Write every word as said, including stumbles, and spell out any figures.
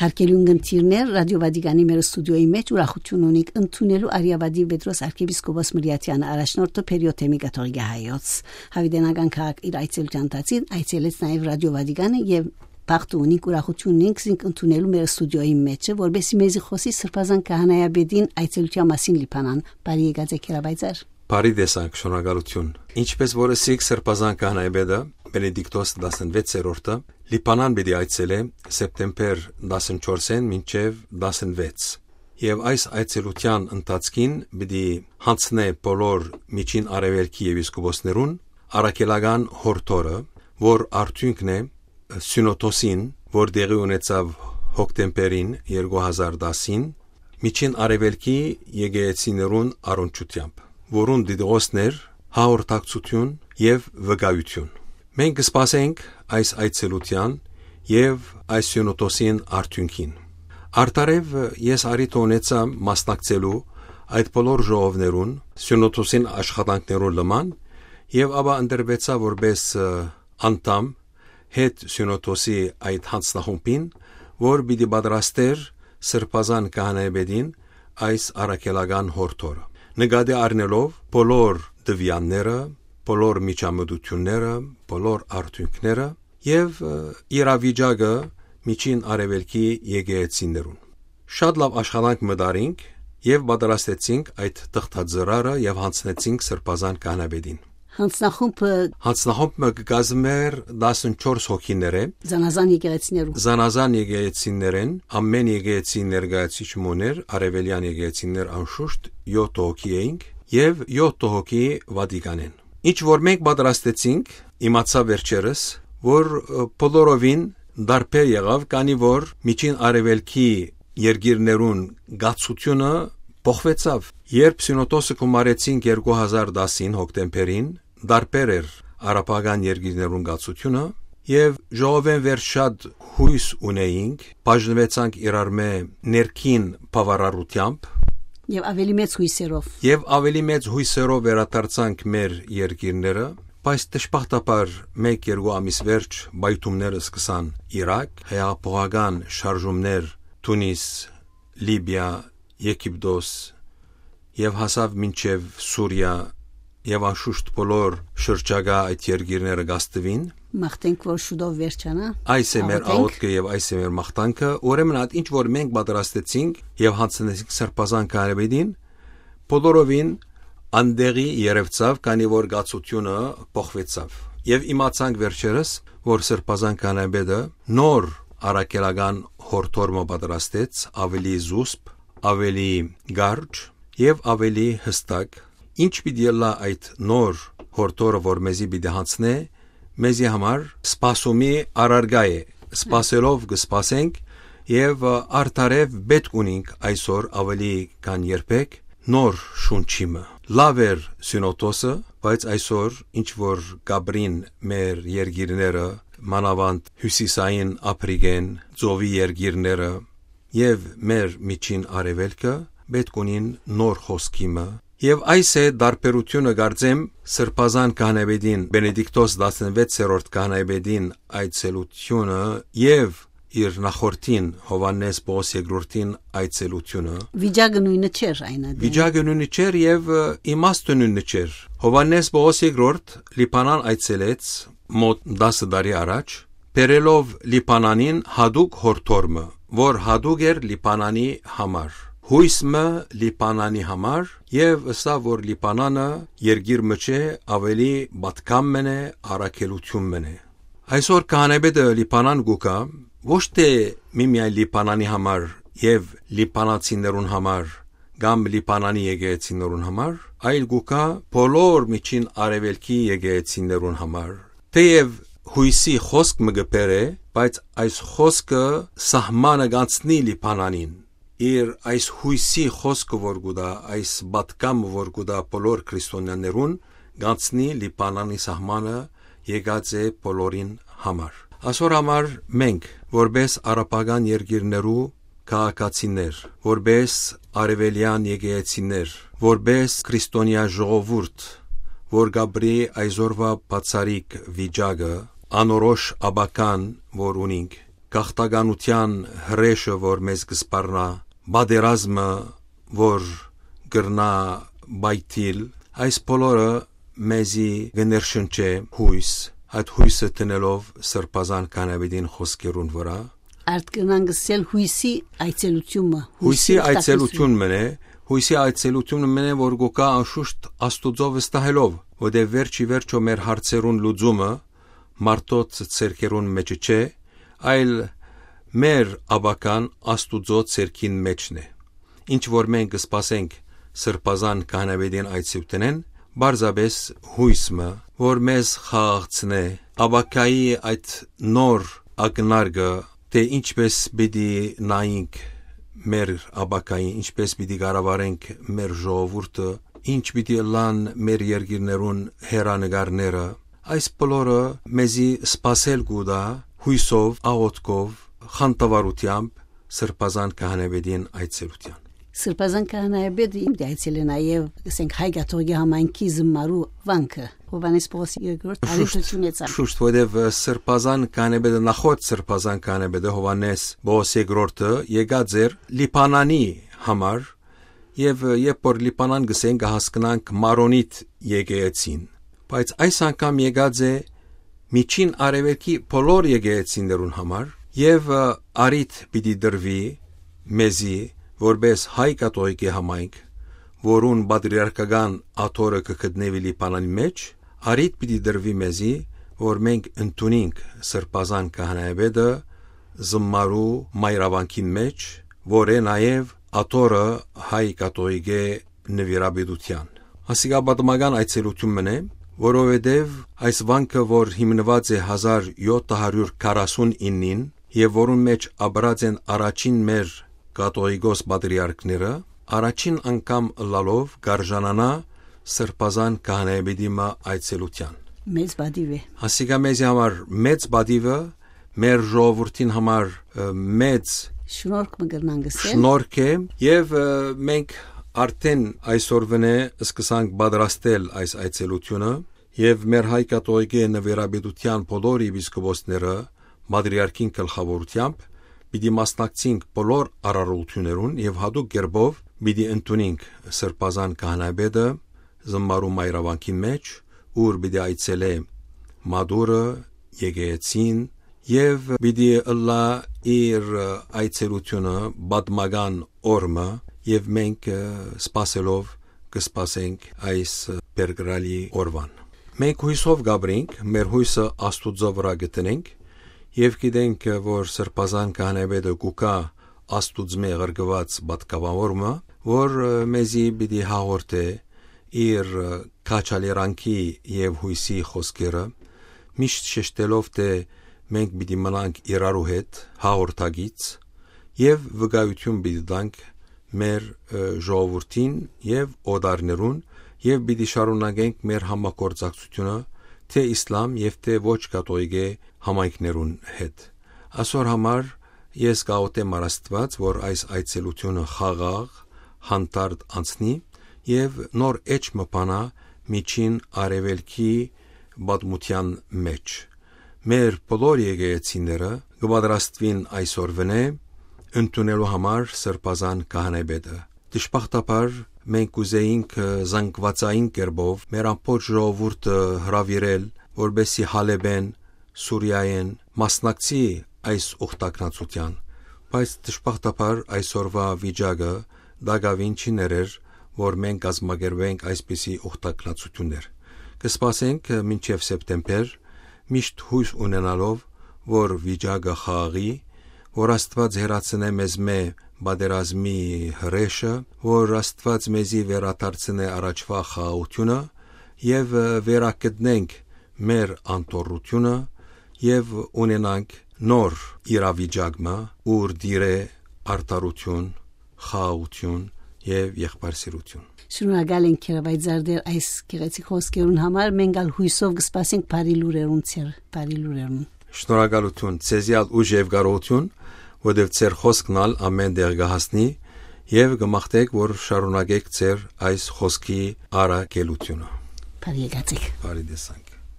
Արգելուն կնդիրներ, Ռադիո Վատիկանի մեր ստուդիոյի մէջ ուրախութիւն ունիք ընդունելու Արիավատի Պետրոս արքեպիսկոպոս Մրիաթեանը, առաջնորդը Փերիոթեմի կաթողիկէ հայոց։ Յաւիտենական քաղաք իր այցելութեան ընթացքին այցելեց նաեւ Ռադիո Վատիկանը եւ բախտը ունինք, ուրախութիւն ունինք զինք ընդունելու մեր ստուդիոյի մէջը, որպեսզի մեզի խօսի Սրբազան Քահանայապետին այցելութեան մասին Լիբանան։ Բարի եկած եք, հրապարակայ։ Բարի տեսանք, շնորհակալություն։ Ինչպես որ ըսիք, Սրբազան Քահանայապետը, Բենեդիկտոս տասնվեցերորդը, Լիբանան պիտի այցելէ սեպտեմբեր տասնչորսէն մինչեւ տասնվեց։ Եւ այս այցելութեան ընթացքին պիտի յանձնէ բոլոր Միջին Արեւելքի եպիսկոպոսներուն առաքելական յորդորը, որ արդիւնքն է Սիւնոդոսին, որ տեղի ունեցաւ հոկտեմբերին երկու հազար տասին, Միջին Արեւելքի եկեղեցիներուն առնչութեամբ, որուն դիտողոսն էր հաղորդակցութիւն եւ վկայութիւն։ Մենք կսպասենք այս այցելութեան եւ այս Սիւնոդոսին արդիւնքին։ Արդարեւ ես առիթը ունեցայ մասնակցելու այդ բոլոր ժողովներուն, Սիւնոդոսին աշխատանքներուն լման, եւ ապա ընտրուեցայ որպես, ը, անդամ հետ Սիւնոդոսի այդ յանձնախումբին, որ պիտի պատրաստէր Սրբազան Քահանայապետին այս առաքելական յորդորը, նկատի առնելով բոլոր տվեալները, բոլոր միջամտութիւնները, բոլոր արդիւնքները եւ, ը, իրավիճակը Միջին Արեւելքի եկեղեցիներուն։ Շատ լաւ աշխատանք մտարինք եւ պատրաստեցինք այդ թղթածրարը եւ յանձնեցինք Սրբազան Քահանայապետին։ Յանձնախումբը Յանձնախումբը կը կազմէր տասնչորս հոգիներէ, զանազան եկեղեցիներու։ Զանազան եկեղեցիներէն, ամէն եկեղեցի ներկայացուցիչ մը ունէր, արեւելեան եկեղեցիներ անշուշտ յոթ հոգի էինք եւ յոթ հոգի Վատիկանէն։ Ինչ որ մենք պատրաստեցինք, իմացայ վերջերս, որ, ը, բոլորովին տարբեր եղաւ, քանի որ Միջին Արեւելքի երկիրներուն կացութիւնը փոխուեցաւ։ Երբ Սիւնոդոսը գումարեցինք երկու հազար տասին հոկտեմբերին, տարբեր էր արաբական երկիրներուն կացութիւնը, եւ ժողովէն վեր շատ յոյս ունէինք, բաժնուեցանք իրարմէ ներքին բաւարարութեամբ Եւ ավելի մեծ յոյսերով։ Եւ ավելի մեծ յոյսերով վերադարձանք մեր երկիրները, բայց դժբախտաբար մէկ-երկու ամիս վերջ պայթումները սկսան Իրաք, հեղափոխական շարժումներ Թունիս, Լիբիա, Եգիպտոս եւ հասաւ մինչեւ Սուրիա, եւ անշուշտ բոլոր շրջակայ այդ երկիրները կ'ազդուին։ Մաղթենք, որ շուտով վերջանայ։ Այս է մեր Աղոթենք։ Աղոթքը եւ այս է մեր մաղթանքը։ Ուրեմն այդ ինչ որ մենք պատրաստեցինք եւ յանձնեցինք Սրբազան Քահանայապետին, բոլորովին անտեղի երեւցաւ, քանի որ կացութիւնը փոխուեցաւ։ Եւ իմացանք վերջերս, որ Սրբազան Քահանայապետը նոր առաքելական յորդոր մը պատրաստեց, ավելի զուսպ, ավելի կարճ եւ ավելի յստակ։ Ինչ պիտի ըլլայ այդ նոր յորդորը, որ մեզի պիտի յանձնէ, մեզի համար սպասումի առարկայ է։ Սպասելով կը սպասենք եւ, ը, արդարեւ պէտք ունինք այսօր ավելի քան երբեք նոր շունչի մը։ Լաւ էր Սիւնոդոսը, բայց այսօր ինչ որ կապրին մեր երկիրները, մանաւանդ հիւսիսային Ափրիկէն, ծովի երկիրները եւ մեր Միջին Արեւելքը, պէտք ունին նոր խօսքի մը։ Եւ այս է տարբերութիւնը, կարծեմ, Սրբազան Քահանայապետին, Բենեդիկտոս տասնվեցերորդ Քահանայապետին այցելութիւնը եւ իր նախորդին, Յովհաննէս Պողոս երկրորդին այցելութիւնը։ Վիճակը նոյնը չէր այն ատեն։ Վիճակը նոյնը չէր եւ, ը, իմաստը նոյնը չէր։ Յովհաննէս Պողոս երկրորդ Լիբանան այցելեց մոտ տասը տարի առաջ, բերելով Լիբանանին յատուկ յորդոր մը, որ յատուկ էր Լիբանանի համար, յոյս մը Լիբանանի համար, եւ ըսաւ, որ Լիբանանը երկիր մը չէ, ավելի պատգամ մըն է, առաքելութիւն մըն է։ Այսօր քահանայապետը Լիբանան կու գայ, ոչ թէ միմիայն Լիբանանի համար եւ լիբանացիներուն համար կամ Լիբանանի եկեղեցիներուն համար, այլ կու գայ բոլոր Միջին Արեւելքի եկեղեցիներուն համար։ Թէեւ յոյսի խօսք մը կը բերէ, բայց այս խօսքը սահմանը կ'անցնի Լիբանանին։ Իր այս յոյսի խօսքը որ կու տայ, այս պատգամը որ կու տայ բոլոր քրիստոնյաներուն, կ'անցնի Լիբանանի սահմանը, եկած է բոլորին համար։ Ասոր համար մենք, որպես արաբական երկիրներու քաղաքացիներ, որպես արեւելեան եկեղեցիներ, որպես քրիստոնեայ ժողովուրդ, որ կապրի այսօրվա բացառիկ վիճակը, անորոշ ապագան, որ ունինք, գաղթականութեան հրեշը, որ մեզ կը սպառնայ, պատերազմը, որ կրնայ պայթիլ, այս բոլորը մեզի կը ներշնչէ յոյս, այդ յոյսը դնելով Սրբազան Քահանայապետին խօսքերուն վրայ։ Արդ կրնանք ըսել յոյսի այցելութիւնը, յոյսի յոյսի այցելութիւն մն է, յոյսի այցելութիւնը մն է, որ գուկա անշուշտ Աստուծոյ վստահելով, որտեղ վերջ ի վերջո մեր հարցերուն լուծումը մարդոց ձեռքերուն մէջ չէ, այլ մեր ապագան Աստուծոյ ձեռքին մէջն է։ Ինչ որ մենք կը սպասենք Սրբազան Քահանայապետին այցելութենէն, պարզապէս յոյս մը, որ մեզ խաղաղցնէ, ապագայի այդ նոր ակնարկը, թէ ինչպէս պիտի նայինք մեր ապագային, ինչպէս պիտի կառավարենք մեր ժողովուրդը, ինչ պիտի ըլլան մեր երկիրներուն հեռանկարները, այս բոլորը մեզի սպասել կու տայ յոյսով, աղօթքով, խանդավառութեամբ Սրբազան Քահանայապետին այցելութեան։ Սրբազան Քահանայապետը պիտի այցելէ նաեւ, ասենք, Հայ կաթողիկէ համայնքի զմարու վանքը, Հովհաննէս Պողոս երկրորդ, շուշտ, արիթ չունեցան։ Շուշտ, որովհետեւ, ը, Սրբազան Քահանայապետը, նախորդ Սրբազան Քահանայապետը Հովհաննէս Պողոս երկրորդը եկած էր Լիբանանի համար, եւ, ը, երբ որ Լիբանան գսեն, կը հասկնանք Մարոնիտ եկեղեցին, բայց այս անգամ եկած է Միջին Արեւելքի բոլոր եկեղեցիներուն համար, եւ, ը, արիթ պիտի տրուի մեզի, որպէս հայ կաթողիկէ համայնք, որուն պատրիարքական աթոռը կը գտնուի Լիբանանի մէջ, արիթ պիտի տրուի մեզի, որ մենք ընդունինք Սրբազան Քահանայապետը զմարու մայրավանքին մէջ, որ է նաեւ աթոռը հայ կաթողիկէ նուիրապետութեան։ Ասիկա պատմական այցելութիւն մն է, որովհետեւ այս վանքը, որ հիմնուած է հազար յոթ հարիւր քառասուն իննին, եւ որուն մէջ ապրած են առաջին մեր կաթողիկոս պատրիարքները, առաջին անգամ ըլլալով կ'արժանանայ Սրբազան Քահանայապետի մը այցելութեան։ Մեծ պատիւ է։ Ասիկա մեզի համար մեծ պատիվը, մեր ժողովուրդին համար, ը, մեծ շնորհք մը կրնանք ըսել։ Շնորհք է, եւ, ը, մենք արդեն այսօրվանէ սկսանք պատրաստել այս այցելութիւնը, եւ մեր հայ կաթողիկէ նվիրապետութեան բոլոր եպիսկոպոսները, պատրիարքին գլխաւորութեամբ, պիտի մասնակցենք բոլոր արարողութիւններուն եւ յատուկ կերպով պիտի ընդունենք Սրբազան Քահանայապետը զմարու մայրավանքին մէջ, ուր պիտի այցելէ մատուռը, եկեղեցին, եւ պիտի ըլլայ իր այցելութիւնը պատմական օր մը, եւ մենք, ը, սպասելով կը սպասենք այս, ը, բերկրալի օրուան։ Մենք յոյսով կ'ապրենք, մեր յոյսը Աստուծոյ վրայ կը դնենք, եւ գիտենք, ը, որ Սրբազան Քահանայապետը կու գայ Աստուծմէ ղրկուած պատգամաւոր մը, որ, ը, մեզի պիտի հաղորդէ իր, ը, քաջալերանքի եւ յոյսի խօսքերը, միշտ շեշտելով, թէ մենք պիտի մնանք իրարու հետ հաղորդակից եւ վկայութիւն պիտի տանք մեր, ը, ժողովուրդին եւ օտարներուն, եւ պիտի շարունակենք մեր համագործակցութիւնը թէ իսլամ եւ թէ ոչ կաթողիկէ համայնքներուն հետ։ Այսօր համար ես կ'աղօթեմ առ Աստուած, որ այս այցելութիւնը խաղաղ, հանդարտ անցնի եւ նոր էջ մը բանայ Միջին Արեւելքի պատմութեան մէջ։ Մեր բոլոր եկեղեցիները կը պատրաստուին այսօրվանէ ընդունելու համար Սրբազան Քահանայապետը։ Դժբախտաբար մենք կ'ուզէինք, ը, զանգվածային կերպով մեր ամբողջ ժողովուրդը հրաւիրել, որպէսզի Հալէպէն, Սուրիայէն մասնակցի այս ուխտագնացութեան, բայց դժբախտաբար այսօրվա վիճակը տակաւին չի ներեր, որ մենք կազմակերպենք այսպիսի ուխտագնացութիւններ։ Կը սպասենք, ը, մինչեւ սեպտեմբեր, միշտ յոյս ունենալով, որ վիճակը խաղաղի, որ Աստուած հեռացնէ մեզմէ պատերազմի հրեշը, որ Աստուած մեզի վերադարձնէ առաջվա խաղաղութիւնը եւ, ը, վերագտնենք մեր անդորրութիւնը եւ ունենանք նոր իրավիճակ մը, ուր տիրէ արդարութիւն, խաղաղութիւն եւ եղբայրսիրութիւն։ Շնորհակալ ենք, Քերավայ Զարդեր, այս գեղեցիկ խօսքերուն համար, մենք ալ յոյսով կը սպասենք բարի լուրերուն, ձեր բարի լուրերուն։ Շնորհակալութիւն, ձեզի ալ ուժ եւ կարողութիւն, որովհետեւ ձեր խօսքն ալ ամէն տեղ կը հասնի, եւ կը մաղթենք, որ շարունակեք ձեր այս խօսքի առաքելութիւնը։ Բարի եկած եք։ Բարի տեսանք։